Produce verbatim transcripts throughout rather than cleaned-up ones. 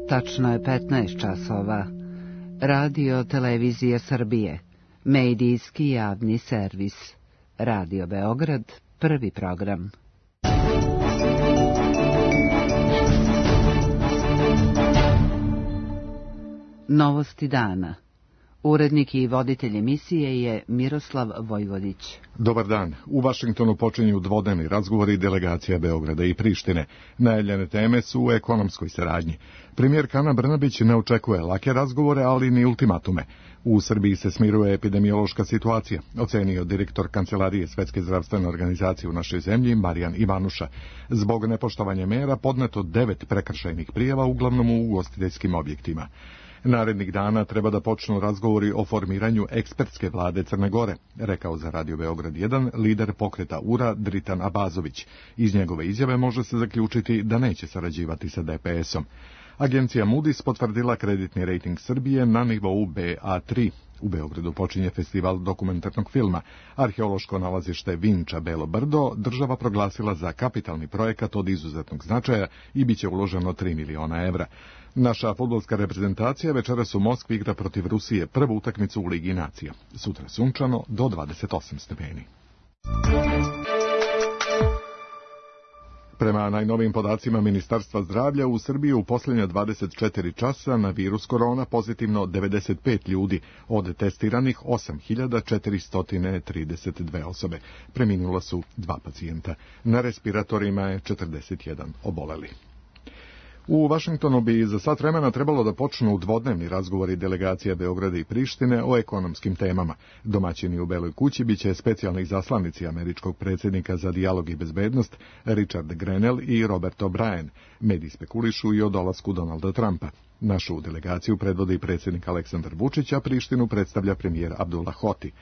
Tačno je petnaest časova. Radio Televizija Srbije, medijski javni servis. Radio Beograd, prvi program. Novosti dana. Urednik i voditelj emisije je Miroslav Vojvodić. Dobar dan. U Vašingtonu počinju dvodnevni razgovori delegacija Beograda i Prištine. Najavljene teme su u ekonomskoj saradnji. Premijerka Ana Brnabić ne očekuje lake razgovore, ali ni ultimatume. U Srbiji se smiruje epidemiološka situacija, ocenio direktor Kancelarije Svetske zdravstvene organizacije u našoj zemlji, Marijan Ivanuša. Zbog nepoštovanja mera podneto devet prekršajnih prijava, uglavnom u ugostiteljskim objektima. Narednih dana treba da počnu razgovori o formiranju ekspertske vlade Crne Gore, rekao za Radio Beograd jedan lider pokreta U R A Dritan Abazović. Iz njegove izjave može se zaključiti da neće sarađivati sa D P S-om. Agencija Moody's potvrdila kreditni rejting Srbije na nivou B A tri. U Beogradu počinje festival dokumentarnog filma. Arheološko nalazište Vinča Belo Brdo država proglasila za kapitalni projekat od izuzetnog značaja i biće uloženo tri miliona evra. Naša fudbalska reprezentacija večeras u Moskvi igra protiv Rusije prvu utakmicu u Ligi nacija. Sutra sunčano do dvadeset osam stepeni. Prema najnovijim podacima Ministarstva zdravlja, u Srbiji u posljednja dvadeset četiri časa na virus korona pozitivno devedeset pet ljudi, od testiranih osam hiljada četiristo trideset dve osobe. Preminula su dva pacijenta. Na respiratorima je četrdeset jedan oboleli. U Vašingtonu bi za sat vremena trebalo da počnu dvodnevni razgovori delegacija Beograda i Prištine o ekonomskim temama. Domaćini u Beloj kući biće specijalni izaslanici američkog predsjednika za dijalog i bezbednost Richard Grenell i Robert O'Brien. Mediji spekulišu i o dolasku Donalda Trumpa. Našu delegaciju predvodi predsjednik Aleksandar Vučić, a Prištinu predstavlja premijer Abdullah Hoti.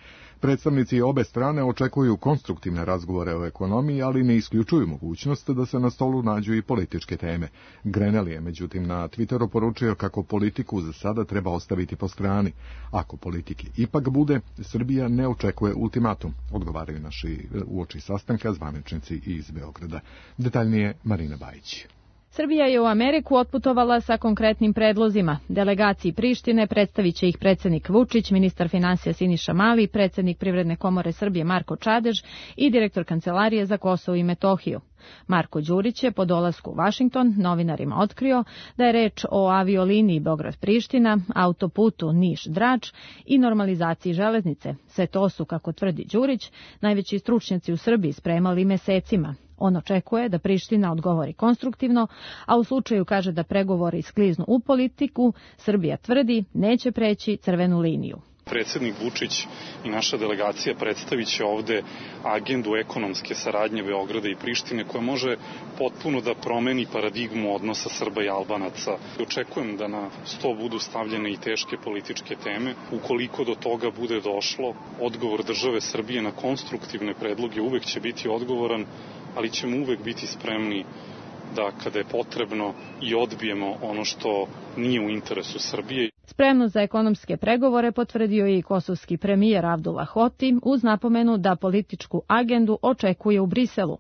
Predstavnici obe strane očekuju konstruktivne razgovore o ekonomiji, ali ne isključuju mogućnost da se na stolu nađu i političke teme. Grenell je, međutim, na Twitteru poručio kako politiku za sada treba ostaviti po strani. Ako politike ipak bude, Srbija ne očekuje ultimatum, odgovaraju naši uoči sastanka zvaničnici iz Beograda. Detaljnije Marina Bajić. Srbija je u Ameriku otputovala sa konkretnim predlozima. Delegaciji Prištine predstavit će ih predsjednik Vučić, ministar finansija Siniša Mali, predsjednik Privredne komore Srbije Marko Čadež i direktor Kancelarije za Kosovo i Metohiju. Marko Đurić je po dolasku u Vašington novinarima otkrio da je reč o avioliniji Beograd-Priština, autoputu Niš-Drač i normalizaciji železnice. Sve to su, kako tvrdi Đurić, najveći stručnjaci u Srbiji spremali mesecima. On očekuje da Priština odgovori konstruktivno, a u slučaju kaže da pregovori skliznu u politiku, Srbija tvrdi neće preći crvenu liniju. Predsjednik Vučić i naša delegacija predstavit će ovde agendu ekonomske saradnje Beograda i Prištine koja može potpuno da promeni paradigmu odnosa Srba i Albanaca. Očekujem da na sto budu stavljene i teške političke teme. Ukoliko do toga bude došlo, odgovor države Srbije na konstruktivne predloge uvek će biti odgovoran, ali ćemo uvek biti spremni da kada je potrebno i odbijemo ono što nije u interesu Srbije. Spremnost za ekonomske pregovore potvrdio je i kosovski premijer Abdullah Hoti uz napomenu da političku agendu očekuje u Briselu.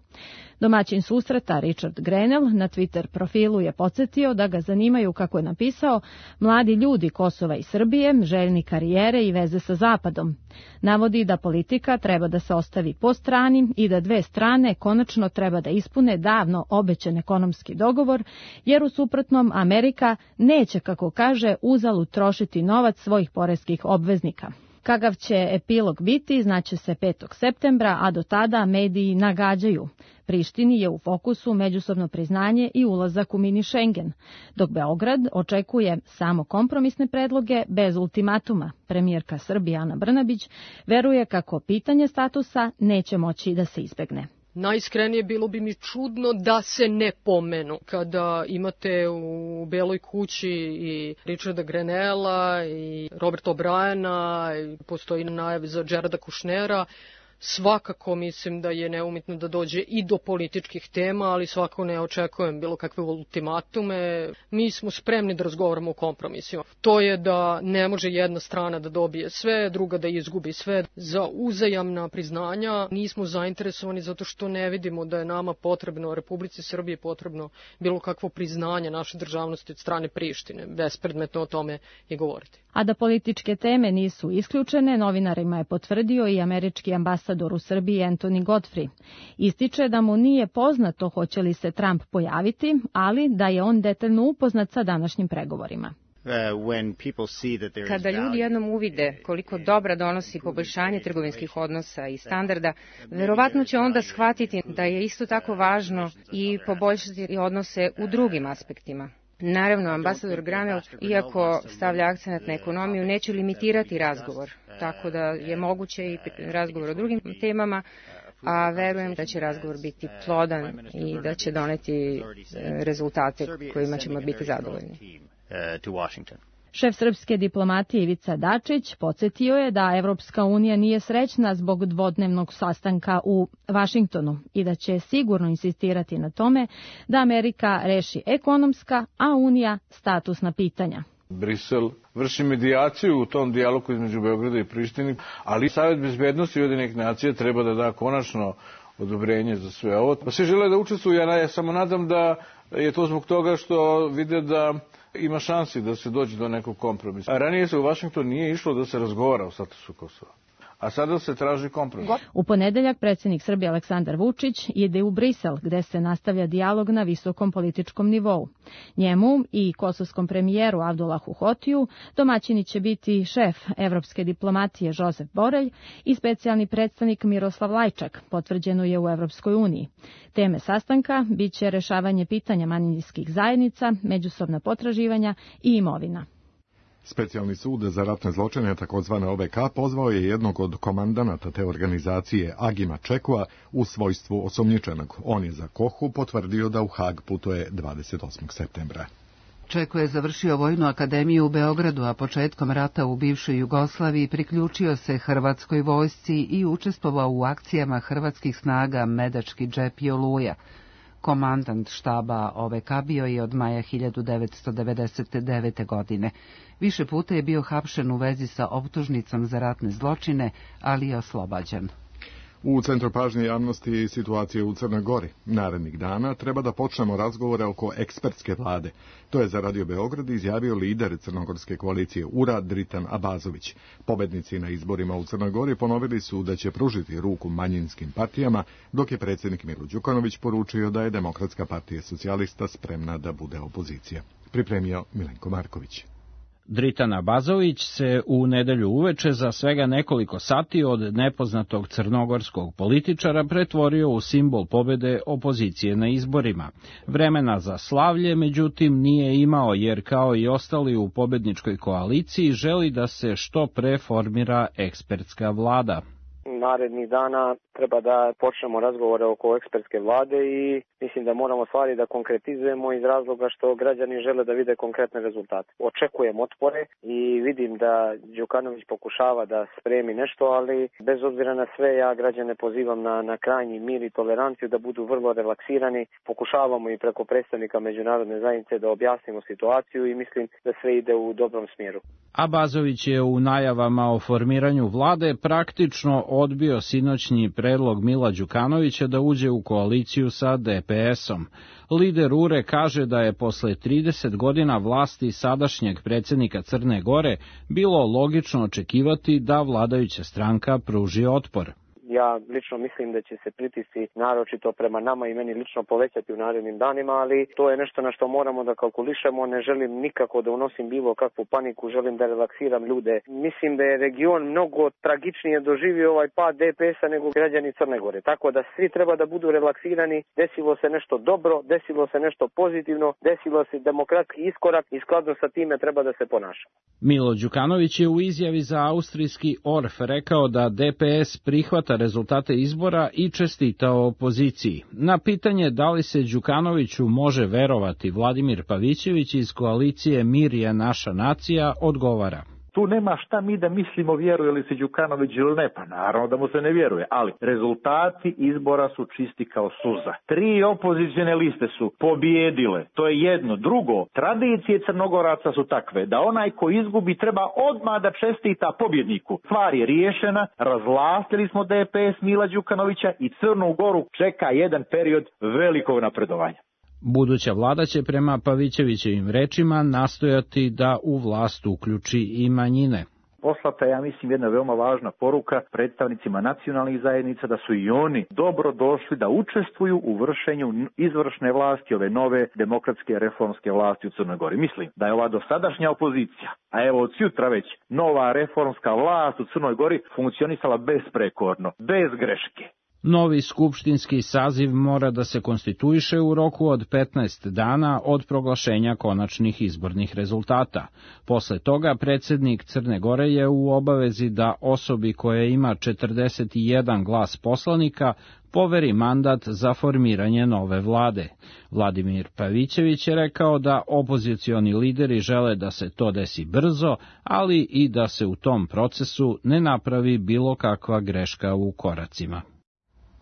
Domaćin susreta Richard Grenell na Twitter profilu je podsjetio da ga zanimaju, kako je napisao, mladi ljudi Kosova i Srbije, željni karijere i veze sa Zapadom. Navodi da politika treba da se ostavi po strani i da dve strane konačno treba da ispune davno obećan ekonomski dogovor, jer u suprotnom Amerika neće, kako kaže, uzalud trošiti novac svojih poreskih obveznika. Kakav će epilog biti, znaće se petog septembra, a do tada mediji nagađaju. Prištini je u fokusu međusobno priznanje i ulazak u mini Schengen, dok Beograd očekuje samo kompromisne predloge bez ultimatuma. Premijerka Srbije Ana Brnabić veruje kako pitanje statusa neće moći da se izbegne. Najiskrenije bilo bi mi čudno da se ne pomenu. Kada imate u Beloj kući i Richarda Grenella i Roberta O'Briena, postoji najave za Jareda Kushnera, Svakako mislim da je neumitno da dođe i do političkih tema, ali svakako ne očekujem bilo kakve ultimatume. Mi smo spremni da razgovaramo o kompromisima. To je da ne može jedna strana da dobije sve, druga da izgubi sve. Za uzajamna priznanja nismo zainteresovani zato što ne vidimo da je nama potrebno, Republici Srbije potrebno bilo kakvo priznanje naše državnosti od strane Prištine. Bespredmetno o tome i govoriti. A da političke teme nisu isključene, novinarima je potvrdio i američki ambasador u Srbiji Anthony Godfrey. Ističe da mu nije poznato hoće li se Trump pojaviti, ali da je on detaljno upoznat sa današnjim pregovorima. Kada ljudi jednom uvide koliko dobra donosi poboljšanje trgovinskih odnosa i standarda, verovatno će onda shvatiti da je isto tako važno i poboljšati odnose u drugim aspektima. Naravno, ambasador Granel, iako stavlja akcenat na ekonomiju, neće limitirati razgovor, tako da je moguće i razgovor o drugim temama, a verujem da će razgovor biti plodan i da će doneti rezultate kojima ćemo biti zadovoljni. Šef srpske diplomatije Ivica Dačić podsjetio je da Evropska unija nije srećna zbog dvodnevnog sastanka u Vašingtonu i da će sigurno insistirati na tome da Amerika reši ekonomska, a Unija statusna pitanja. Brisel vrši medijaciju u tom dijalogu između Beograda i Prištine, ali Savet bezbednosti Ujedinjenih nacija treba da da konačno odobrenje za sve ovo. Pa svi žele da učestvuju, ja, ja samo nadam da je to zbog toga što vide da ima šansi da se dođe do nekog kompromisa. A ranije se u Vašington nije išlo da se razgovara o statusu Kosova, a sada se traži kompromis. U ponedeljak predsjednik Srbije Aleksandar Vučić ide u Brisel, gde se nastavlja dijalog na visokom političkom nivou. Njemu i kosovskom premijeru Avdulahu Hotiju domaćini će biti šef evropske diplomatije Josef Borelj i specijalni predstavnik Miroslav Lajčak, potvrđeno je u Evropskoj uniji. Teme sastanka biće rešavanje pitanja manjinskih zajednica, međusobna potraživanja i imovina. Specijalni sud za ratne zločine, takozvane O V K, pozvao je jednog od komandanata te organizacije, Agima Čekua, u svojstvu osumnjičenog. On je za Kohu potvrdio da u Hag putuje dvadeset osmog septembra. Čeko je završio Vojnu akademiju u Beogradu, a početkom rata u bivšoj Jugoslaviji priključio se hrvatskoj vojsci i učestvovao u akcijama hrvatskih snaga Medački džep i Oluja. Komandant štaba O V K bio je od maja hiljadu devetsto devedeset devete. godine. Više puta je bio hapšen u vezi sa optužnicom za ratne zločine, ali je oslobađan. U centru pažnje javnosti situacije u Crnoj Gori. Narednih dana treba da počnemo razgovore oko ekspertske vlade. To je za Radio Beograd izjavio lider crnogorske koalicije U R A Dritan Abazović. Pobednici na izborima u Crnoj Gori ponovili su da će pružiti ruku manjinskim partijama, dok je predsjednik Milo Đukanović poručio da je Demokratska partija socijalista spremna da bude opozicija. Pripremio Milenko Marković. Dritan Abazović se u nedelju uveče za svega nekoliko sati od nepoznatog crnogorskog političara pretvorio u simbol pobede opozicije na izborima. Vremena za slavlje, međutim, nije imao, jer kao i ostali u pobedničkoj koaliciji želi da se što pre formira ekspertska vlada. Narednih dana treba da počnemo razgovore oko ekspertske vlade i mislim da moramo stvari da konkretizujemo iz razloga što građani žele da vide konkretne rezultate. Očekujem otpore i vidim da Đukanović pokušava da spremi nešto, ali bez obzira na sve ja građane pozivam na, na krajnji mir i toleranciju, da budu vrlo relaksirani. Pokušavamo i preko predstavnika međunarodne zajednice da objasnimo situaciju i mislim da sve ide u dobrom smjeru. Abazović je u najavama o formiranju vlade praktično odbio sinoćnji predlog Mila Đukanovića da uđe u koaliciju sa D P S-om. Lider U R E kaže da je posle trideset godina vlasti sadašnjeg predsjednika Crne Gore bilo logično očekivati da vladajuća stranka pruži otpor. Ja lično mislim da će se pritisci naročito prema nama i meni lično povećati u narednim danima, ali to je nešto na što moramo da kalkulišemo. Ne želim nikako da unosim bilo kakvu paniku, želim da relaksiram ljude. Mislim da je region mnogo tragičnije doživio ovaj pad D P S-a nego građani Crne Gore. Tako da svi treba da budu relaksirani, desilo se nešto dobro, desilo se nešto pozitivno, desilo se demokratski iskorak i skladno sa time treba da se ponaša. Milo Đukanović je u izjavi za austrijski O R F rekao da D P S prihvata rezultate izbora i čestitao opoziciji. Na pitanje da li se Đukanoviću može verovati, Vladimir Pavićević iz koalicije Mir je naša nacija odgovara. Tu nema šta mi da mislimo vjeruje li se Đukanović ili ne, pa naravno da mu se ne vjeruje, ali rezultati izbora su čisti kao suza. Tri opozicione liste su pobijedile, to je jedno. Drugo, tradicije Crnogoraca su takve da onaj ko izgubi treba odmah da čestita pobjedniku. Stvar je riješena, razvlastili smo D P S Mila Đukanovića i Crnu Goru čeka jedan period velikog napredovanja. Buduća vlada će prema Pavićevićevim rečima nastojati da u vlast uključi i manjine. Poslata je, ja mislim, jedna veoma važna poruka predstavnicima nacionalnih zajednica da su i oni dobro došli da učestvuju u vršenju izvršne vlasti ove nove demokratske reformske vlasti u Crnoj Gori. Mislim da je ova dosadašnja opozicija, a evo od jutra već nova reformska vlast u Crnoj Gori funkcionisala besprekorno, bez greške. Novi skupštinski saziv mora da se konstituiše u roku od petnaest dana od proglašenja konačnih izbornih rezultata. Posle toga predsjednik Crne Gore je u obavezi da osobi koja ima četrdeset jedan glas poslanika poveri mandat za formiranje nove vlade. Vladimir Pavićević je rekao da opozicioni lideri žele da se to desi brzo, ali i da se u tom procesu ne napravi bilo kakva greška u koracima.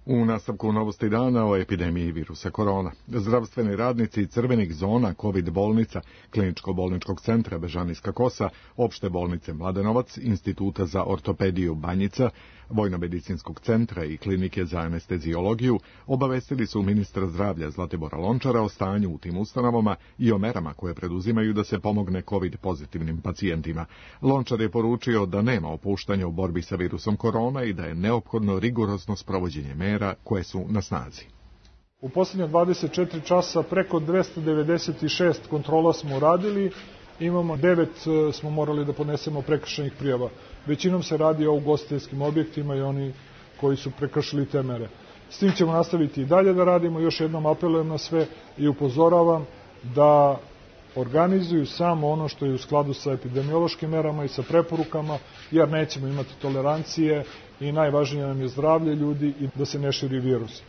U nastavku novosti dana o epidemiji virusa korona. Zdravstveni radnici crvenih zona COVID bolnica, Kliničko-bolničkog centra Bežanijska Kosa, Opšte bolnice Mladenovac, Instituta za ortopediju Banjica, Vojno-medicinskog centra i Klinike za anesteziologiju obavestili su ministra zdravlja Zlatibora Lončara o stanju u tim ustanovama i o merama koje preduzimaju da se pomogne COVID pozitivnim pacijentima. Lončar je poručio da nema opuštanja u borbi sa virusom korona i da je neophodno rigorozno sprovođenje mera koje su na snazi. U posljednje dvadeset četiri časa preko dvesta devedeset šest kontrola smo uradili, imamo devet smo morali da podnesemo prekršajnih prijava. Većinom se radi o ugostiteljskim objektima i oni koji su prekršili te mere. S tim ćemo nastaviti i dalje da radimo, još jednom apelujem na sve i upozoravam da organizuju samo ono što je u skladu sa epidemiološkim merama i sa preporukama, jer nećemo imati tolerancije i najvažnije nam je zdravlje ljudi i da se ne širi virus.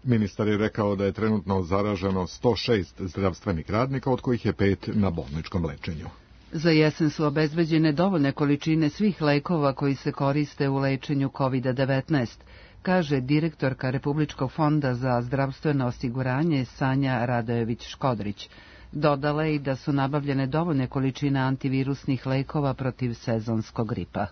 Ministar je rekao da je trenutno zaraženo sto šest zdravstvenih radnika, od kojih je pet na bolničkom lečenju. Za jesen su obezbeđene dovoljne količine svih lekova koji se koriste u lečenju kovid devetnaest, kaže direktorka Republičkog fonda za zdravstveno osiguranje Sanja Radojević-Škodrić. Dodala je i da su nabavljene dovoljne količine antivirusnih lekova protiv sezonskog gripa.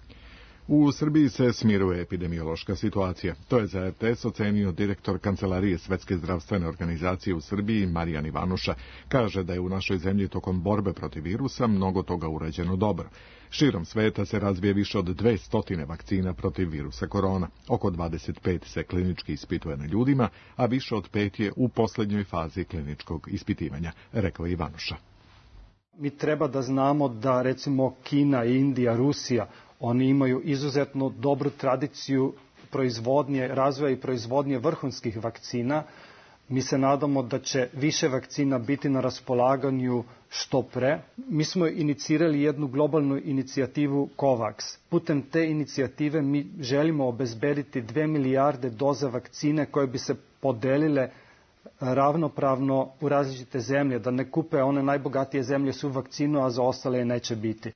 U Srbiji se smiruje epidemiološka situacija. To je za R T S ocenio direktor Kancelarije Svetske zdravstvene organizacije u Srbiji Marijan Ivanuša. Kaže da je u našoj zemlji tokom borbe protiv virusa mnogo toga urađeno dobro. Širom sveta se razvije više od dvesta vakcina protiv virusa korona. Oko dvadeset pet se klinički ispituje na ljudima, a više od pet je u posljednjoj fazi kliničkog ispitivanja, rekao je Ivanuša. Mi treba da znamo da recimo Kina, Indija, Rusija, oni imaju izuzetno dobru tradiciju proizvodnje, razvoja i proizvodnje vrhunskih vakcina. Mi se nadamo da će više vakcina biti na raspolaganju što pre. Mi smo inicirali jednu globalnu inicijativu COVAX. Putem te inicijative mi želimo obezbediti dve milijarde doza vakcine koje bi se podelile ravnopravno u različite zemlje, da ne kupe one najbogatije zemlje su vakcinu, a za ostale je neće biti.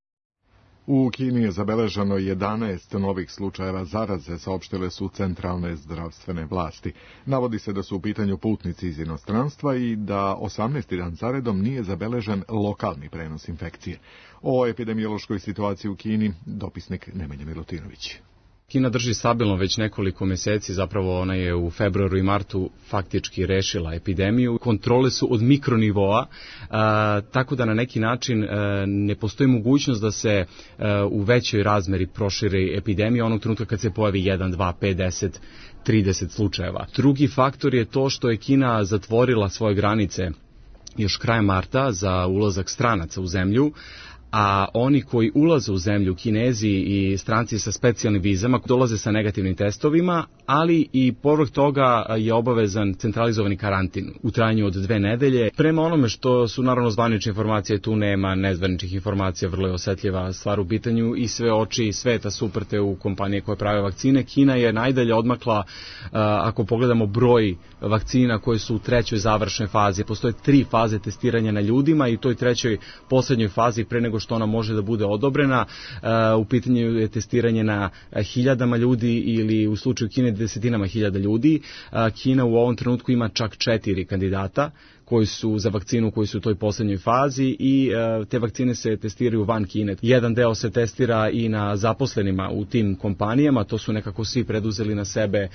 U Kini je zabeleženo jedanaest novih slučajeva zaraze, saopštile su centralne zdravstvene vlasti. Navodi se da su u pitanju putnici iz inostranstva i da osamnaesti dan zaredom nije zabeležen lokalni prenos infekcije. O epidemiološkoj situaciji u Kini dopisnik Nemanja Milutinović. Kina drži stabilno već nekoliko meseci, zapravo ona je u februaru i martu faktički rešila epidemiju. Kontrole su od mikronivoa, a, tako da na neki način a, ne postoji mogućnost da se a, u većoj razmeri proširi epidemija onog trenutka kad se pojavi jedan, dva, pet, deset, trideset slučajeva. Drugi faktor je to što je Kina zatvorila svoje granice još krajem marta za ulazak stranaca u zemlju, a oni koji ulaze u zemlju, Kinezi i stranci sa specijalnim vizama, dolaze sa negativnim testovima, ali i povrh toga je obavezan centralizovani karantin u trajanju od dve nedelje. Prema onome što su naravno zvanične informacije, tu nema nezvaničnih informacija, vrlo je osetljiva stvar u pitanju i sve oči sveta su uprte u kompanije koje prave vakcine. Kina je najdalje odmakla, ako pogledamo broj vakcina koje su u trećoj završnoj fazi. Postoje tri faze testiranja na ljudima i u toj trećoj poslednjoj fazi pre nego nego što ona može da bude odobrena. U pitanju je testiranje na hiljadama ljudi ili u slučaju Kine desetinama hiljada ljudi. Kina u ovom trenutku ima čak četiri kandidata koji su za vakcinu koji su u toj poslednjoj fazi i e, te vakcine se testiraju van Kine. Jedan deo se testira i na zaposlenima u tim kompanijama, to su nekako svi preduzeli na sebe e,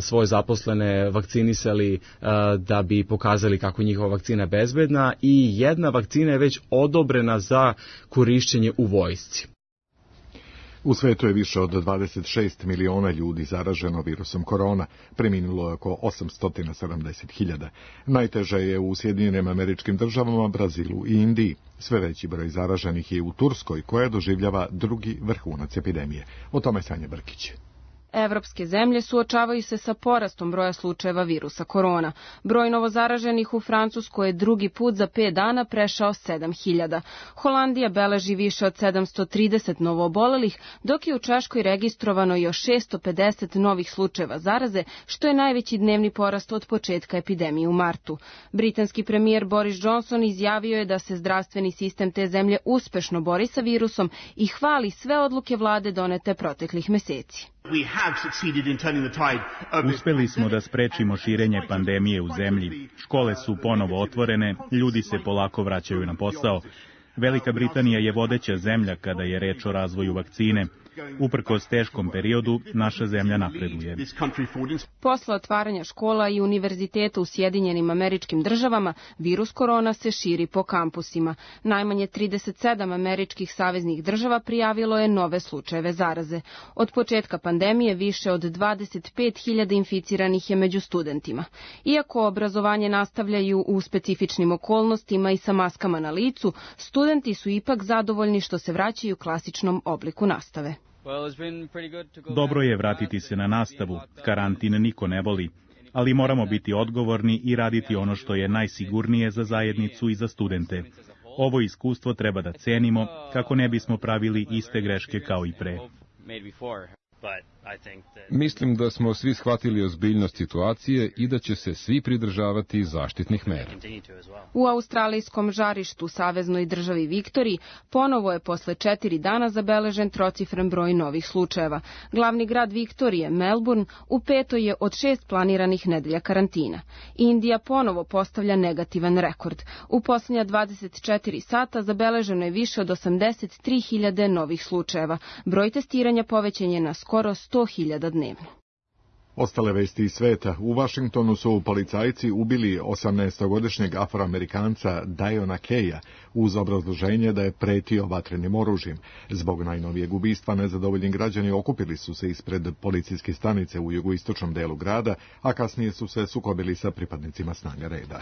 svoje zaposlene, vakcinisali e, da bi pokazali kako je njihova vakcina bezbedna i jedna vakcina je već odobrena za korišćenje u vojsci. U svetu je više od dvadeset šest miliona ljudi zaraženo virusom korona, preminulo je oko osamsto sedamdeset hiljada. Najteže je u Sjedinjenim Američkim Državama, Brazilu i Indiji. Sve veći broj zaraženih je u Turskoj, koja doživljava drugi vrhunac epidemije. O tome Sanja Brkić. Evropske zemlje suočavaju se sa porastom broja slučajeva virusa korona. Broj novozaraženih u Francuskoj je drugi put za pet dana prešao sedam hiljada. Holandija beleži više od sedamsto trideset novoobolelih, dok je u Češkoj registrovano još šesto pedeset novih slučajeva zaraze, što je najveći dnevni porast od početka epidemije u martu. Britanski premijer Boris Johnson izjavio je da se zdravstveni sistem te zemlje uspešno bori sa virusom i hvali sve odluke vlade donete proteklih meseci. Uspeli smo da sprečimo širenje pandemije u zemlji. Škole su ponovo otvorene, ljudi se polako vraćaju na posao. Velika Britanija je vodeća zemlja kada je reč o razvoju vakcine. Uprkos teškom periodu, naša zemlja napreduje. Posle otvaranja škola i univerziteta u Sjedinjenim Američkim Državama, virus korona se širi po kampusima. Najmanje trideset sedam američkih saveznih država prijavilo je nove slučajeve zaraze. Od početka pandemije više od dvadeset pet hiljada inficiranih je među studentima. Iako obrazovanje nastavljaju u specifičnim okolnostima i sa maskama na licu, studenti su ipak zadovoljni što se vraćaju klasičnom obliku nastave. Dobro je vratiti se na nastavu, karantin niko ne voli, ali moramo biti odgovorni i raditi ono što je najsigurnije za zajednicu i za studente. Ovo iskustvo treba da cenimo kako ne bismo pravili iste greške kao i pre. Mislim da smo svi shvatili ozbiljnost situacije i da će se svi pridržavati zaštitnih mera. U australijskom žarištu saveznoj državi Viktoriji ponovo je posle četiri dana zabeležen trocifren broj novih slučajeva. Glavni grad Viktorije, Melbourne, u petoj je od šest planiranih nedelja karantina. Indija ponovo postavlja negativan rekord. U posljednja dvadeset četiri sata zabeleženo je više od osamdeset tri hiljade novih slučajeva. Broj testiranja povećan je na skoro sto hiljada dnevno. Ostale vesti iz sveta. U Vašingtonu su policajci ubili osamnaestogodišnjeg Afroamerikanca Diona Keja uz obrazloženje da je pretio vatrenim oružjem. Zbog najnovijeg ubistva nezadovoljni građani okupili su se ispred policijske stanice u jugoistočnom delu grada, a kasnije su se sukobili sa pripadnicima snaga reda.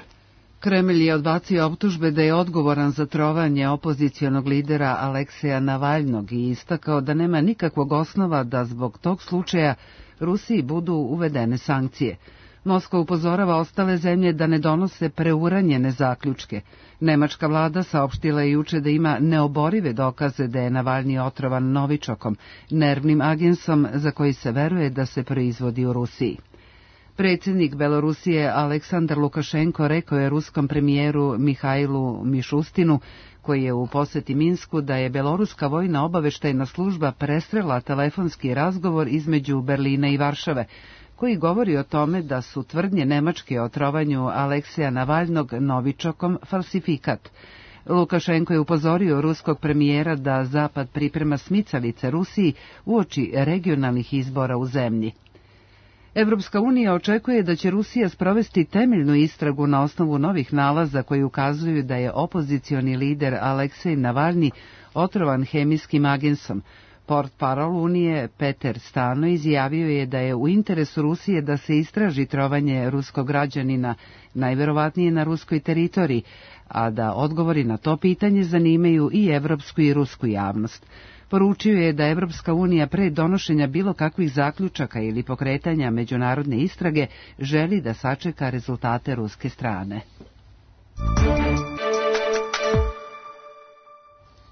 Kremlj je odbacio optužbe da je odgovoran za trovanje opozicionog lidera Alekseja Navalnog i istakao da nema nikakvog osnova da zbog tog slučaja Rusiji budu uvedene sankcije. Moskva upozorava ostale zemlje da ne donose preuranjene zaključke. Nemačka vlada saopštila je juče da ima neoborive dokaze da je Navalni otrovan novičokom, nervnim agensom za koji se veruje da se proizvodi u Rusiji. Predsjednik Belorusije Aleksandar Lukašenko rekao je ruskom premijeru Mihajlu Mišustinu, koji je u poseti Minsku, da je beloruska vojna obaveštajna služba presrela telefonski razgovor između Berlina i Varšave, koji govori o tome da su tvrdnje Nemačke o trovanju Alekseja Navalnog novičokom falsifikat. Lukašenko je upozorio ruskog premijera da Zapad priprema smicalice Rusiji uoči regionalnih izbora u zemlji. Evropska unija očekuje da će Rusija sprovesti temeljnu istragu na osnovu novih nalaza koji ukazuju da je opozicioni lider Aleksej Navalni otrovan hemijskim agensom. Portparol Unije Peter Stano izjavio je da je u interesu Rusije da se istraži trovanje ruskog građanina, najverovatnije na ruskoj teritoriji, a da odgovori na to pitanje zanimaju i evropsku i rusku javnost. Poručio je da Evropska unija pre donošenja bilo kakvih zaključaka ili pokretanja međunarodne istrage želi da sačeka rezultate ruske strane.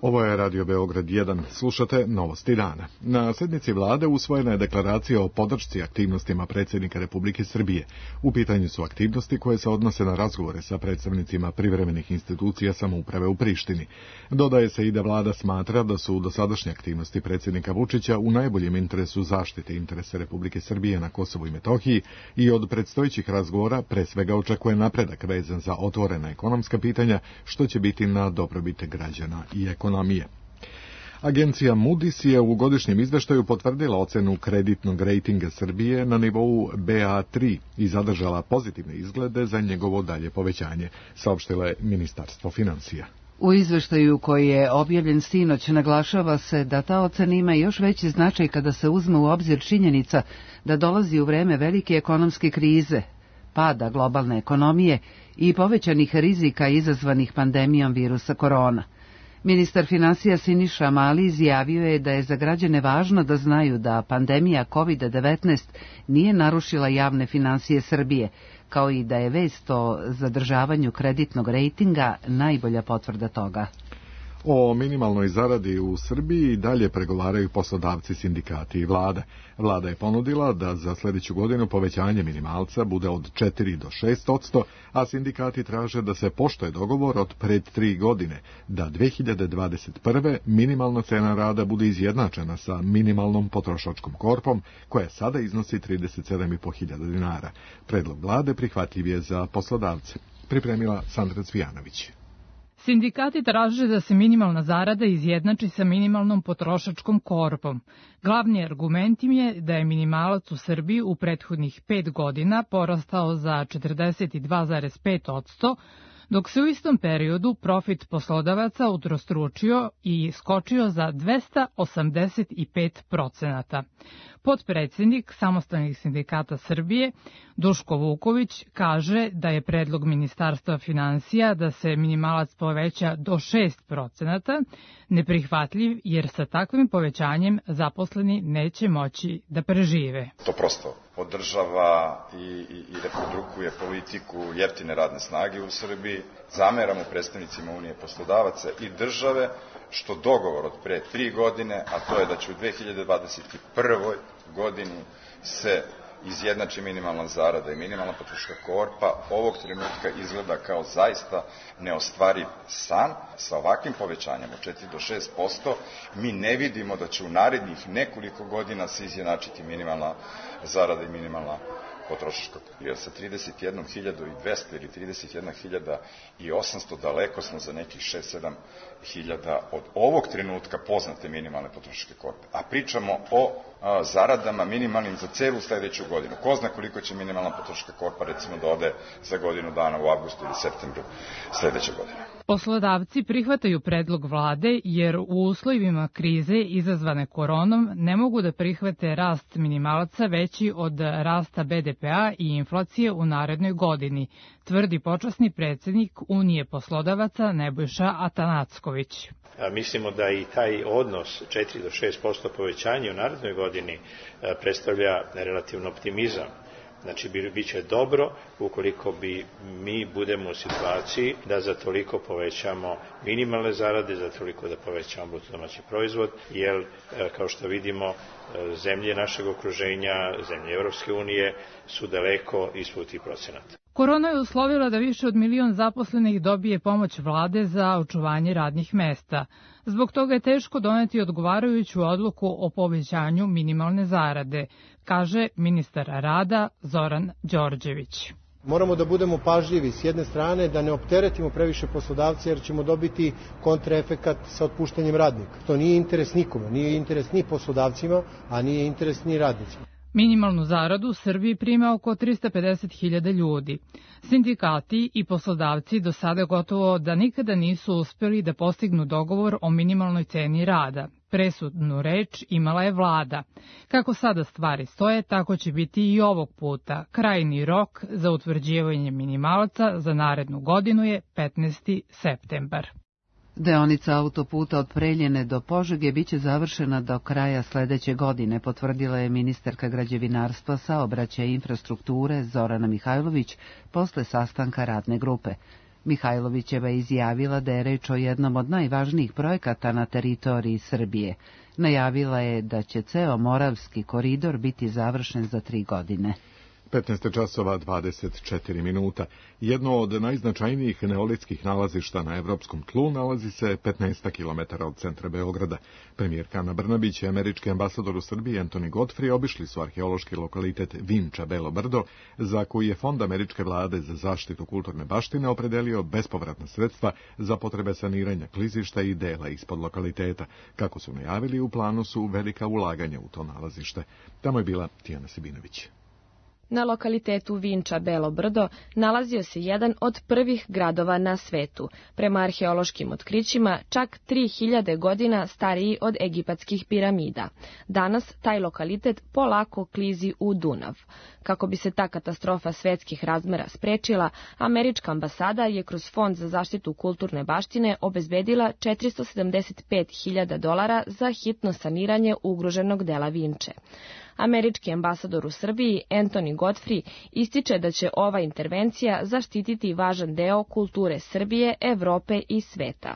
Ovo je Radio Beograd jedan, slušate Novosti dana. Na sednici vlade usvojena je deklaracija o podršci aktivnostima predsjednika Republike Srbije. U pitanju su aktivnosti koje se odnose na razgovore sa predstavnicima privremenih institucija samouprave u Prištini. Dodaje se i da vlada smatra da su dosadašnje aktivnosti predsjednika Vučića u najboljem interesu zaštite interesa Republike Srbije na Kosovu i Metohiji i od predstojećih razgovora pre svega očekuje napredak vezan za otvorena ekonomska pitanja, što će biti na dobrobit građana i ekonomije. Ekonomije. Agencija Moody's je u godišnjem izveštaju potvrdila ocenu kreditnog rejtinga Srbije na nivou B A tri i zadržala pozitivne izglede za njegovo dalje povećanje, saopštilo je Ministarstvo finansija. U izveštaju koji je objavljen sinoć naglašava se da ta ocena ima još veći značaj kada se uzme u obzir činjenica da dolazi u vreme velike ekonomske krize, pada globalne ekonomije i povećanih rizika izazvanih pandemijom virusa korona. Ministar finansija Siniša Mali izjavio je da je za građane važno da znaju da pandemija kovid devetnaest nije narušila javne finansije Srbije, kao i da je vest o zadržavanju kreditnog rejtinga najbolja potvrda toga. O minimalnoj zaradi u Srbiji dalje pregovaraju poslodavci, sindikati i vlada. Vlada je ponudila da za sljedeću godinu povećanje minimalca bude od četiri do šest odsto, a sindikati traže da se poštuje dogovor od pred tri godine, da dve hiljade dvadeset prve minimalna cena rada bude izjednačena sa minimalnom potrošačkom korpom, koja sada iznosi trideset sedam i po hiljada dinara. Predlog vlade prihvatljiv je za poslodavce. Pripremila Sandra Cvijanović. Sindikati traže da se minimalna zarada izjednači sa minimalnom potrošačkom korpom. Glavni argument im je da je minimalac u Srbiji u prethodnih pet godina porastao za četrdeset dva zarez pet odsto, dok se u istom periodu profit poslodavaca utrostručio i skočio za dvesta osamdeset pet procenata. Potpredsjednik Samostalnih sindikata Srbije, Duško Vuković, kaže da je predlog Ministarstva finansija da se minimalac poveća do šest procenata neprihvatljiv, jer sa takvim povećanjem zaposleni neće moći da prežive. To prosto podržava i, i, i reprodukuje politiku jeftine radne snage u Srbiji. Zameramo predstavnicima Unije poslodavaca i države što dogovor od pre tri godine, a to je da će u dve hiljade dvadeset prvoj godini se izjednači minimalna zarada i minimalna potrošačka korpa, ovog trenutka izgleda kao zaista neostvariv san. Sa ovakvim povećanjem od četiri do šest posto mi ne vidimo da će u narednih nekoliko godina se izjednačiti minimalna zarada i minimalna potrošačka. Jer sa trideset jednu hiljadu dvesta ili trideset jedna hiljada osamsto daleko smo za nekih šest sedam hiljada od ovog trenutka poznate minimalne potrošačke korpe. A pričamo o a, zaradama minimalnim za celu sledeću godinu. Ko zna koliko će minimalna potrošačka korpa recimo da ode za godinu dana u avgustu ili septembru sledeće godine. Poslodavci prihvataju predlog vlade jer u uslovima krize izazvane koronom ne mogu da prihvate rast minimalaca veći od rasta B D P-a i inflacije u narednoj godini, tvrdi počasni predsjednik Unije poslodavaca Nebojša Atanacković. Mislimo da i taj odnos četiri do šest posto povećanja u narednoj godini predstavlja relativno optimizam. Znači, bit će dobro ukoliko bi mi budemo u situaciji da za toliko povećamo minimalne zarade, za toliko da povećamo bruto domaći proizvod, jer, kao što vidimo, zemlje našeg okruženja, zemlje Evropske unije su daleko ispod tih procenata. Korona je uslovila da više od milion zaposlenih dobije pomoć vlade za očuvanje radnih mesta. Zbog toga je teško doneti odgovarajuću odluku o povećanju minimalne zarade, kaže ministar rada Zoran Đorđević. Moramo da budemo pažljivi s jedne strane, da ne opteretimo previše poslodavce, jer ćemo dobiti kontraefekat sa otpuštanjem radnika. To nije interes nikome, nije interes ni poslodavcima, a nije interes ni radnicima. Minimalnu zaradu u Srbiji prima oko trista pedeset hiljada ljudi. Sindikati i poslodavci do sada gotovo da nikada nisu uspeli da postignu dogovor o minimalnoj ceni rada. Presudnu reč imala je vlada. Kako sada stvari stoje, tako će biti i ovog puta. Krajnji rok za utvrđivanje minimalaca za narednu godinu je petnaesti septembar. Deonica autoputa od Preljine do Požege biće završena do kraja sledeće godine, potvrdila je ministarka građevinarstva, saobraćaja i infrastrukture Zorana Mihajlović posle sastanka radne grupe. Mihajlovićeva je izjavila da je reč o jednom od najvažnijih projekata na teritoriji Srbije. Najavila je da će ceo Moravski koridor biti završen za tri godine. petnaest časova dvadeset četiri minuta. Jedno od najznačajnijih neolitskih nalazišta na evropskom tlu nalazi se petnaest kilometara od centra Beograda. Premijerka Ana Brnabić i američki ambasador u Srbiji Anthony Godfrey obišli su arheološki lokalitet Vinča Belo Brdo, za koji je Fond američke vlade za zaštitu kulturne baštine opredelio bespovratna sredstva za potrebe saniranja klizišta i dela ispod lokaliteta. Kako su najavili, u planu su velika ulaganja u to nalazište. Tamo je bila Tijana Sibinović. Na lokalitetu Vinča Belo Brdo nalazio se jedan od prvih gradova na svetu, prema arheološkim otkrićima čak tri hiljade godina stariji od egipatskih piramida. Danas taj lokalitet polako klizi u Dunav. Kako bi se ta katastrofa svetskih razmera sprečila, američka ambasada je kroz Fond za zaštitu kulturne baštine obezbedila četiristo sedamdeset pet hiljada dolara za hitno saniranje ugroženog dela Vinče. Američki ambasador u Srbiji, Anthony Godfrey, ističe da će ova intervencija zaštititi važan deo kulture Srbije, Evrope i sveta.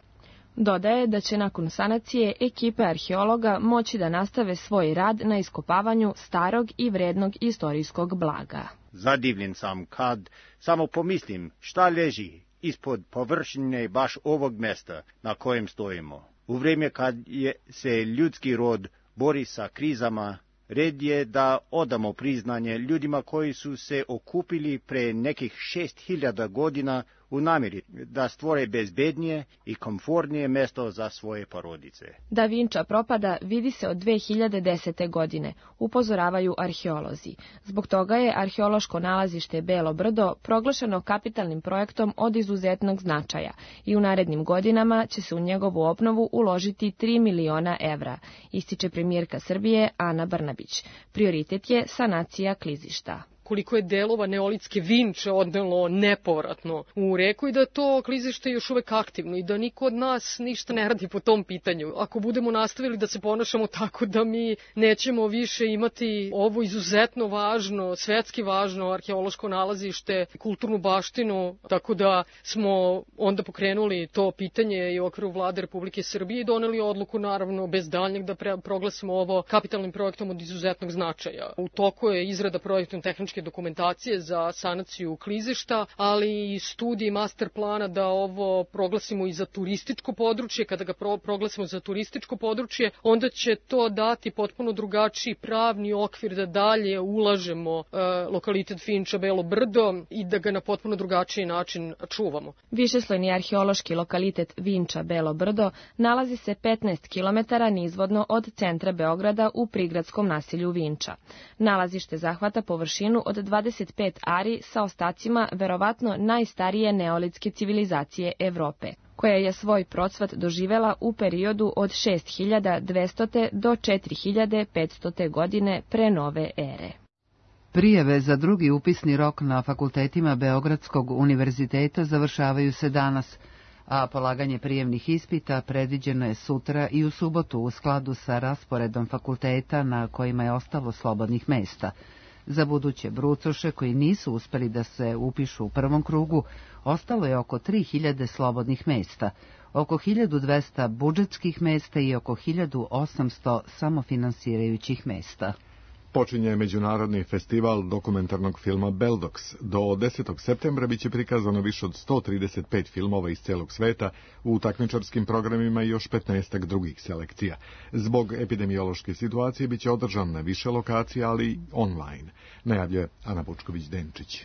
Dodaje da će nakon sanacije ekipe arheologa moći da nastave svoj rad na iskopavanju starog i vrednog istorijskog blaga. Zadivljen sam kad samo pomislim šta leži ispod površine baš ovog mesta na kojem stojimo. U vrijeme kad je se ljudski rod bori sa krizama, red je da odamo priznanje ljudima koji su se okupili pre nekih šest hiljada godina u namjeri da stvore bezbednije i komfortnije mesto za svoje porodice. Da Vinča propada vidi se od dve hiljade desete. godine, upozoravaju arheolozi. Zbog toga je arheološko nalazište Belo Brdo proglašeno kapitalnim projektom od izuzetnog značaja i u narednim godinama će se u njegovu obnovu uložiti tri miliona evra, ističe premijerka Srbije Ana Brnabić. Prioritet je sanacija klizišta. Koliko je delova neolitske Vinče odnelo nepovratno u reku i da to klizište je još uvek aktivno i da niko od nas ništa ne radi po tom pitanju. Ako budemo nastavili da se ponašamo tako da mi nećemo više imati ovo izuzetno važno, svetski važno arheološko nalazište, kulturnu baštinu, tako da smo onda pokrenuli to pitanje i u okviru vlade Republike Srbije i doneli odluku naravno bez daljnjeg da pre, proglasimo ovo kapitalnim projektom od izuzetnog značaja. U toku je izrada projektno-tehničke dokumentacije za sanaciju klizišta, ali i studije master plana da ovo proglasimo i za turističko područje. Kada ga pro, proglasimo za turističko područje, onda će to dati potpuno drugačiji pravni okvir da dalje ulažemo e, lokalitet Vinča Belo Brdo i da ga na potpuno drugačiji način čuvamo. Višeslojni arheološki lokalitet Vinča Belo Brdo nalazi se petnaest kilometara nizvodno od centra Beograda u prigradskom naselju Vinča. Nalazište zahvata površinu od dvadeset pet ari sa ostacima verovatno najstarije neolitske civilizacije Evrope, koja je svoj procvat doživela u periodu od šest hiljada dvesta do četiri hiljade petsto. godine pre nove ere. Prijave za drugi upisni rok na fakultetima Beogradskog univerziteta završavaju se danas, a polaganje prijemnih ispita predviđeno je sutra i u subotu u skladu sa rasporedom fakulteta na kojima je ostalo slobodnih mesta. Za buduće brucoše koji nisu uspeli da se upišu u prvom krugu, ostalo je oko tri hiljade slobodnih mesta, oko hiljadu dvesta budžetskih mesta i oko hiljadu osamsto samofinansirajućih mesta. Počinje Međunarodni festival dokumentarnog filma Beldox. Do desetog septembra biće prikazano više od sto trideset pet filmova iz celog sveta, u takmičarskim programima i još petnaestak drugih selekcija. Zbog epidemiološke situacije biće održan na više lokacija, ali online, najavljuje Ana Bučković-Denčić.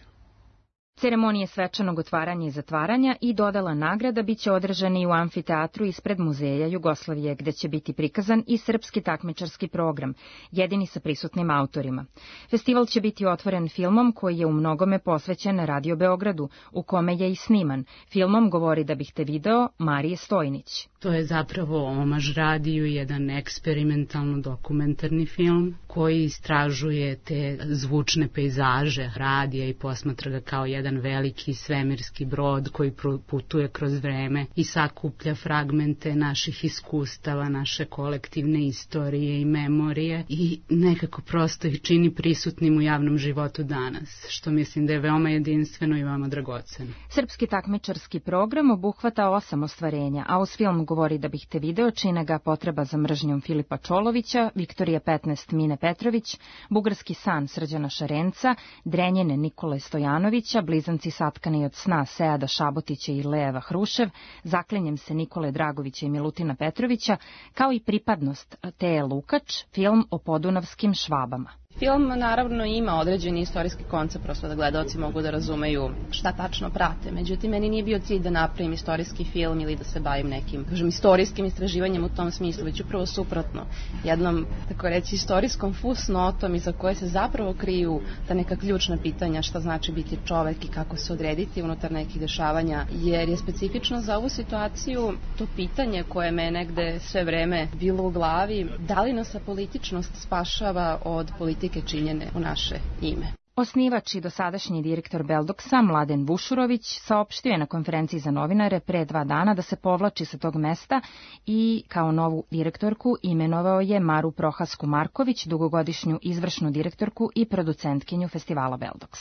Ceremonije svečanog otvaranja i zatvaranja i dodala nagrada biće održani u amfiteatru ispred Muzeja Jugoslavije, gde će biti prikazan i srpski takmičarski program, jedini sa prisutnim autorima. Festival će biti otvoren filmom koji je u mnogome posvećen Radio Beogradu, u kome je i sniman. Filmom Govori da bih te video Marije Stojnić. To je zapravo omaž radiju, jedan eksperimentalno dokumentarni film koji istražuje te zvučne pejzaže radija i posmatra ga kao jedan veliki svemirski brod koji putuje kroz vreme i sakuplja fragmente naših iskustava, naše kolektivne istorije i memorije i nekako prosto ih čini prisutnim u javnom životu danas, što mislim da je veoma jedinstveno i veoma dragoceno. Srpski takmičarski program obuhvata osam ostvarenja, a uz film Govori da bih te video čine ga Potreba za mržnjom Filipa Čolovića, Viktorija petnaest Mine Petrović, Bugarski san Srđana Šarenca, Drenjene Nikole Stojanovića, Blizanci satkani od sna Seada Šabotića i Lejeva Hrušev, Zaklenjem se Nikole Dragovića i Milutina Petrovića, kao i Pripadnost Teje Lukač, film o podunavskim Švabama. Film naravno ima određeni istorijski koncept, prosto da gledaoci mogu da razumeju šta tačno prate. Međutim, meni nije bio cilj da napravim istorijski film ili da se bavim nekim, kažem, istorijskim istraživanjem u tom smislu, već upravo suprotno. Jednom, tako reći, istorijskom fusnotom iza koje se zapravo kriju ta neka ključna pitanja šta znači biti čovek i kako se odrediti unutar nekih dešavanja, jer je specifično za ovu situaciju to pitanje koje me negde sve vreme bilo u glavi, da li nas apolitičnost spašava od politike činjene u naše ime. Osnivač i dosadašnji direktor Beldoksa, Mladen Vušurović, saopštio je na konferenciji za novinare pre dva dana da se povlači sa tog mesta i kao novu direktorku imenovao je Maru Prohasku Marković, dugogodišnju izvršnu direktorku i producentkinju festivala Beldoks.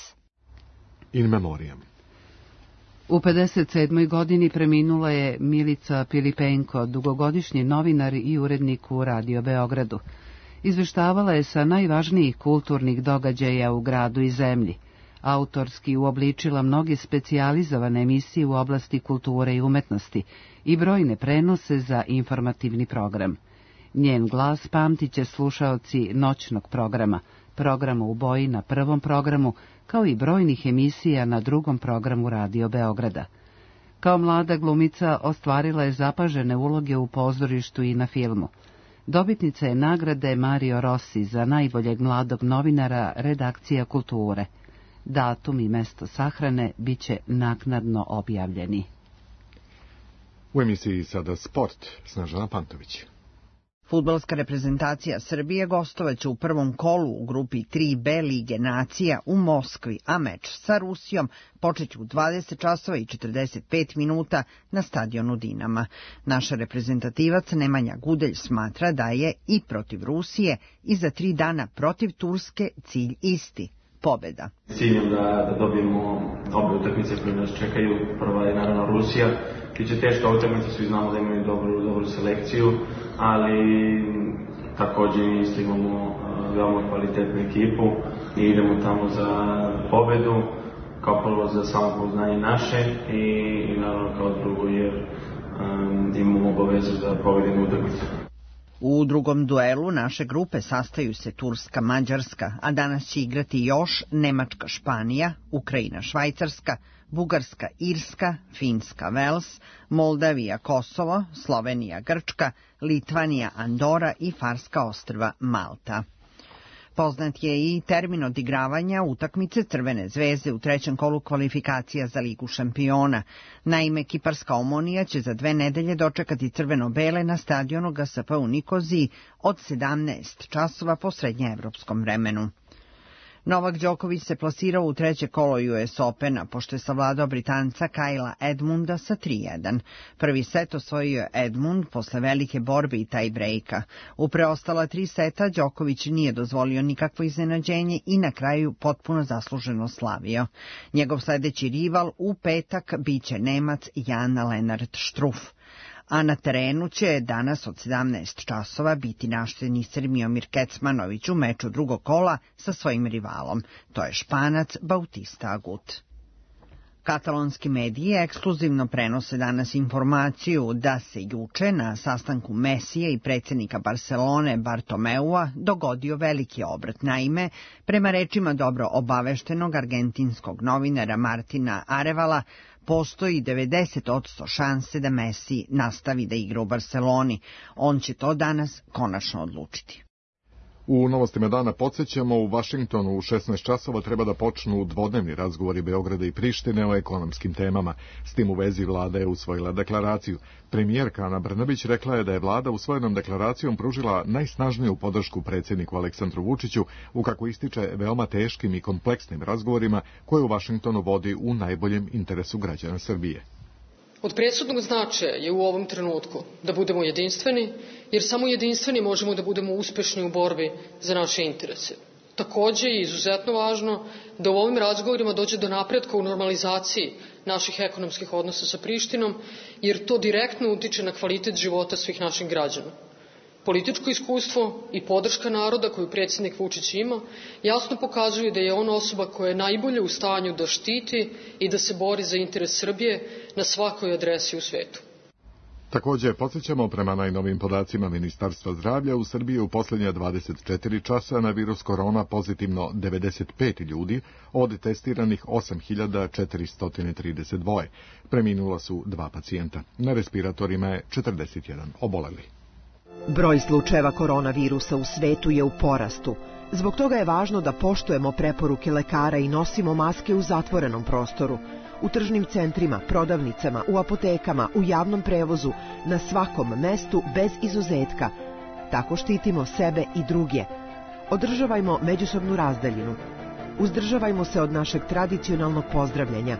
In memoriam. U pedeset sedmoj godini preminula je Milica Pilipenko, dugogodišnji novinar i urednik u Radio Beogradu. Izveštavala je sa najvažnijih kulturnih događaja u gradu i zemlji. Autorski uobličila mnoge specijalizovane emisije u oblasti kulture i umetnosti i brojne prenose za informativni program. Njen glas pamtiće slušaoci noćnog programa, programa u boji na prvom programu, kao i brojnih emisija na drugom programu Radio Beograda. Kao mlada glumica ostvarila je zapažene uloge u pozorištu i na filmu. Dobitnica je nagrade Mario Rossi za najboljeg mladog novinara redakcija kulture. Datum i mesto sahrane bit će naknadno objavljeni. U emisiji sada Sport, Snežana Pantović. Fudbalska reprezentacija Srbije gostovaće u prvom kolu u grupi tri B Lige nacija u Moskvi, a meč sa Rusijom počeće u dvadeset časova i četrdeset pet minuta na stadionu Dinama. Naša reprezentativac Nemanja Gudelj smatra da je i protiv Rusije i za tri dana protiv Turske cilj isti. Pobeda. Ciljem da, da dobijemo obe utakmice koje nas čekaju. Prva je naravno Rusija. Biće teška utakmica, svi znamo da imaju dobru, dobru selekciju, ali također isto imamo uh, veoma kvalitetnu ekipu i idemo tamo za pobedu, kao prvo za samopoznanje naše i, i naravno kao drugo jer um, imamo obavezu da pobedimo utakmicu. U drugom duelu naše grupe sastaju se Turska, Mađarska, a danas će igrati još Nemačka, Španija, Ukrajina, Švajcarska, Bugarska, Irska, Finska, Vels, Moldavija, Kosovo, Slovenija, Grčka, Litvanija, Andora i Farska ostrva, Malta. Poznat je i termin odigravanja utakmice Crvene zvezde u trećem kolu kvalifikacija za Ligu šampiona. Naime, Kiparska Omonija će za dve nedelje dočekati crveno-bele na stadionu G S P u Nikoziji od sedamnaest časova po srednjeevropskom vremenu. Novak Đoković se plasirao u treće kolo U S Opena, pošto je savladao Britanca Kajla Edmunda sa tri jedan. Prvi set osvojio je Edmund posle velike borbe i taj-brejka. U preostala tri seta Đoković nije dozvolio nikakvo iznenađenje i na kraju potpuno zasluženo slavio. Njegov sledeći rival u petak biće Nemac Jan Lennart Struff. A na terenu će danas od sedamnaest časova biti naš teniser Miomir Kecmanović u meču drugog kola sa svojim rivalom. To je Španac Bautista Agut. Katalonski mediji ekskluzivno prenose danas informaciju da se juče na sastanku Mesije i predsjednika Barcelone Bartomeua dogodio veliki obrat. Naime, prema rečima dobro obaveštenog argentinskog novinara Martina Arevala, postoji devedeset posto šanse da Messi nastavi da igra u Barceloni. On će to danas konačno odlučiti. U novostima dana podsjećamo, u Vašingtonu u šesnaest časova treba da počnu dvodnevni razgovori Beograda i Prištine o ekonomskim temama. S tim u vezi vlada je usvojila deklaraciju. Premijerka Ana Brnabić rekla je da je vlada usvojenom deklaracijom pružila najsnažniju podršku predsjedniku Aleksandru Vučiću u, kako ističe, veoma teškim i kompleksnim razgovorima koje u Vašingtonu vodi u najboljem interesu građana Srbije. Od presudnog značaja je u ovom trenutku da budemo jedinstveni, jer samo jedinstveni možemo da budemo uspešni u borbi za naše interese. Takođe je izuzetno važno da u ovim razgovorima dođe do napretka u normalizaciji naših ekonomskih odnosa sa Prištinom, jer to direktno utiče na kvalitet života svih naših građana. Političko iskustvo i podrška naroda koju predsjednik Vučić ima jasno pokazuju da je on osoba koja je najbolje u stanju da štiti i da se bori za interes Srbije na svakoj adresi u svetu. Takođe, podsjećamo, prema najnovim podacima Ministarstva zdravlja, u Srbiji u posljednja dvadeset četiri časa na virus korona pozitivno devedeset pet ljudi, od testiranih osam hiljada četiristo trideset dva. Preminula su dva pacijenta. Na respiratorima je četrdeset jedan oboleli. Broj slučajeva koronavirusa u svetu je u porastu. Zbog toga je važno da poštujemo preporuke lekara i nosimo maske u zatvorenom prostoru. U tržnim centrima, prodavnicama, u apotekama, u javnom prevozu, na svakom mestu bez izuzetka. Tako štitimo sebe i druge. Održavajmo međusobnu razdaljinu. Uzdržavajmo se od našeg tradicionalnog pozdravljanja.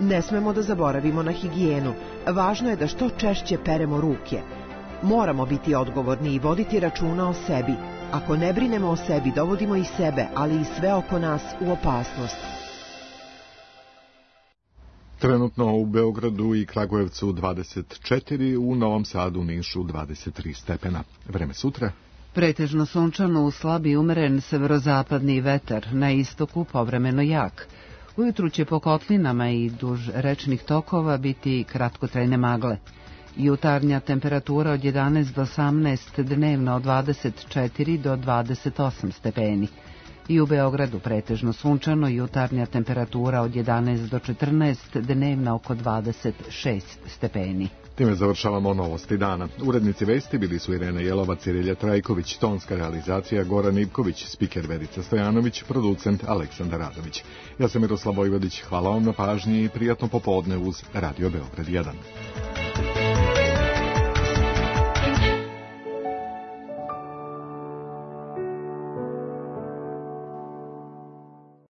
Ne smemo da zaboravimo na higijenu. Važno je da što češće peremo ruke. Moramo biti odgovorni i voditi računa o sebi. Ako ne brinemo o sebi, dovodimo i sebe, ali i sve oko nas u opasnost. Trenutno u Beogradu i Kragujevcu dvadeset četiri, u Novom Sadu, Nišu dvadeset tri stepena. Vreme sutra? Pretežno sunčano, uz slabi umeren severozapadni vetar, na istoku povremeno jak. Ujutru će po kotlinama i duž rečnih tokova biti kratkotrajne magle. Jutarnja temperatura od jedanaest do osamnaest, dnevno od dvadeset četiri do dvadeset osam stepeni. I u Beogradu pretežno sunčano, jutarnja temperatura od jedanaest do četrnaest, dnevna oko dvadeset šest stepeni. Time završavamo novosti dana. Urednici vesti bili su Irena Jelovac i Relja Trajković, tonska realizacija Goran Ivković, spiker Verica Stojanović, producent Aleksandar Radović. Ja sam Miroslav Vojvodić, hvala vam na pažnji i prijatno popodne uz Radio Beograd jedan.